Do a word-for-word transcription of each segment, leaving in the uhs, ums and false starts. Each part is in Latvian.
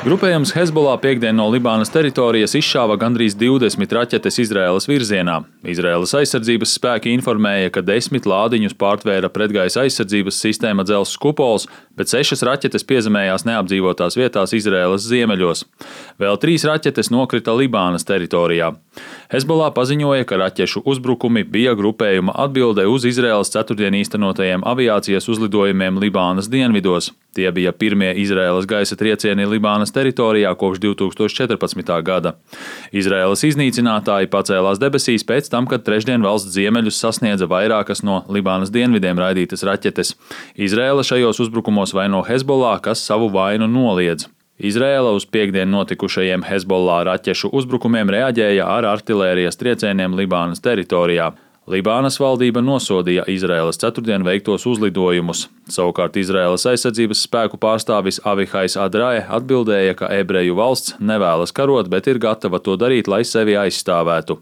Grupējums Hezbollah piekdien no Libānas teritorijas izšāva gandrīz divdesmit raķetes Izraēlas virzienā. Izraēlas aizsardzības spēki informēja, ka desmit lādiņus pārtvēra pretgaisa aizsardzības sistēma dzelzs kupols, bet sešas raķetes piezemējās neapdzīvotās vietās Izraēlas ziemeļos. Vēl trīs raķetes nokrita Libānas teritorijā. Hezbollah paziņoja, ka raķešu uzbrukumi bija grupējuma atbilde uz Izraēlas ceturtdien īstenotajiem aviācijas uzlidojumiem Libānas dienvidos. Tie bija pirmie Izraēlas gaisa triecieni Libānas teritorijā kopš divi tūkstoši četrpadsmitā gada. Izraēlas iznīcinātāji pacēlās debesīs pēc tam, kad trešdien valsts ziemeļus sasniedza vairākas no Libānas dienvidiem raidītas raķetes. Izraēla šajos uzbrukumos vaino Hezbollah, kas savu vainu noliedz. Izraēla uz piekdien notikušajiem Hezbollah raķešu uzbrukumiem reaģēja ar artilērijas triecieniem Libānas teritorijā. Libānas valdība nosodīja Izraēlas ceturtdien veiktos uzlidojumus. Savukārt Izraēlas aizsardzības spēku pārstāvis Avihais Adrae atbildēja, ka ebreju valsts nevēlas karot, bet ir gatava to darīt, lai sevi aizstāvētu.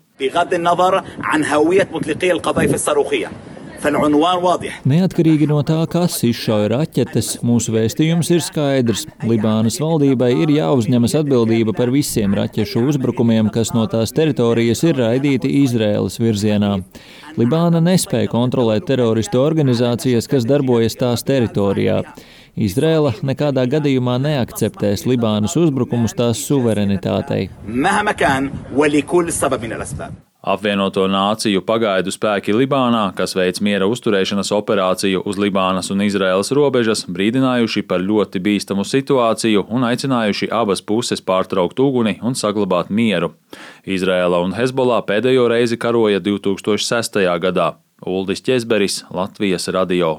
Neatkarīgi no tā, kas izšauja raķetes, mūsu vēstījums ir skaidrs. Libānas valdībai ir jāuzņemas atbildība par visiem raķešu uzbrukumiem, kas no tās teritorijas ir raidīti Izraēlas virzienā. Libāna nespēja kontrolēt teroristu organizācijas, kas darbojas tās teritorijā. Izraēla nekādā gadījumā neakceptēs Libānas uzbrukumus tās suverenitātei. Apvienoto nāciju pagaidu spēki Libānā, kas veic miera uzturēšanas operāciju uz Libānas un Izraēlas robežas, brīdinājuši par ļoti bīstamu situāciju un aicinājuši abas puses pārtraukt uguni un saglabāt mieru. Izraēla un Hezbollah pēdējo reizi karoja divi tūkstoši sestajā gadā. Uldis Ķezberis, Latvijas radio.